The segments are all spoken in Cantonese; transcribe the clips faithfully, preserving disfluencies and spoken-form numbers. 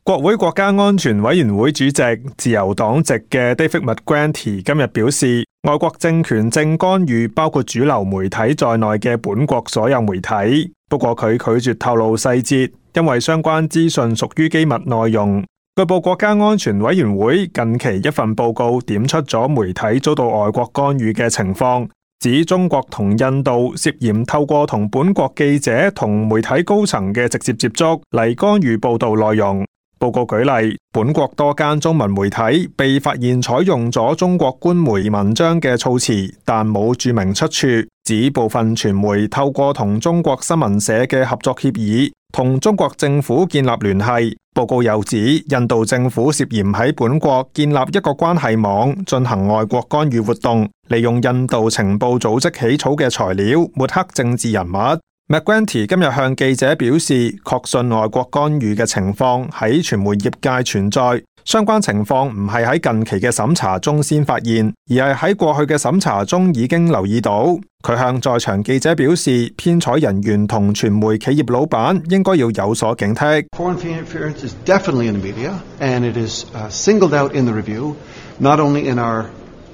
國會國家安全委員會主席、自由黨籍嘅 David McGuinty 今日表示，外國政權正干預包括主流媒體在內嘅本國所有媒體。不過佢拒絕透露細節，因為相關資訊屬於機密內容。據報國家安全委員會近期一份報告點出咗媒體遭到外國干預嘅情況，指中國同印度涉嫌透過同本國記者同媒體高層嘅直接接觸嚟干預報道內容。報告舉例，本國多間中文媒體被發現採用咗中國官媒文章嘅措辭，但冇註明出處，指部分傳媒透過同中國新聞社嘅合作協議，同中國政府建立聯繫。報告又指，印度政府涉嫌喺本國建立一個關係網，進行外國干預活動，利用印度情報組織起草嘅材料，抹黑政治人物。McGuinty 今日向記者表示，確信外國干預嘅情況喺傳媒業界存在，相關情況唔係喺近期嘅審查中先發現，而係喺過去嘅審查中已經留意到。佢向在場記者表示，編採人員同傳媒企業老闆應該要有所警惕。Foreign interference is definitely in the media, and it is uh, singled out in the review, not only in our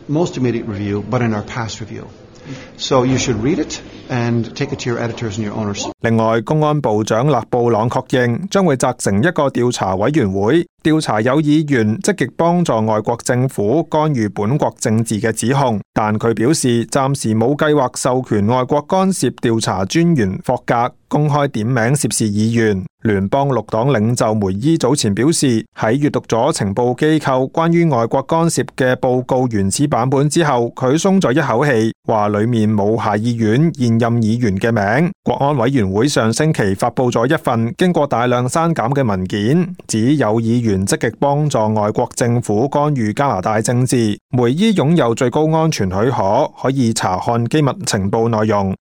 most immediate review, but in our past review.So you should read it and take it to your editors and your owners. 另外，公安部長勒布朗確認將會責成一個調查委員會，調查有議員積極幫助外國政府干預本國政治嘅指控，但佢表示暫時冇計劃授權外國干涉調查專員霍格公開點名涉事議員。聯邦綠黨領袖梅伊早前表示，喺閱讀咗情報機構關於外國干涉嘅報告原始版本之後，佢鬆咗一口氣，話裏面冇下議院現任議員嘅名。國安委員會上星期發佈咗一份經過大量刪減嘅文件，指有議員積極幫助外國政府干預加拿大政治。梅伊擁有最高安全許可，可以查看機密情報內容。